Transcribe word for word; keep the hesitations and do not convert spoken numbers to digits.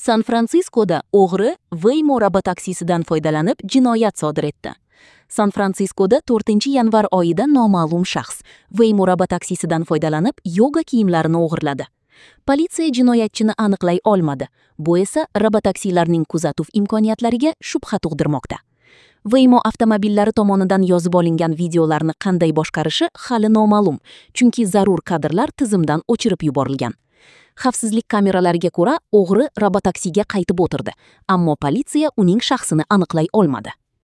San-Fransiskoda o'g'ri Waymo robotaksisidan foydalanib jinoyat sodir etdi. San-Fransiskoda to'rtinchi yanvar oyida noma'lum shaxs Waymo robotaksisidan foydalanib yoga kiyimlarini o'g'irladi. Politsiya jinoyatchini aniqlay olmadi. Bu esa robotaksilarning kuzatuv imkoniyatlariga shubha tug'dirmoqda. Waymo avtomobillari tomonidan yozib olingan videolarni qanday boshqarishi hali noma'lum, chunki zarur kadrlar tizimdan o'chirib yuborilgan. Xavfsizlik kameralariga ko'ra, o'g'ri robotaksiga qaytib o'tirdi, ammo politsiya uning shaxsini aniqlay olmadi.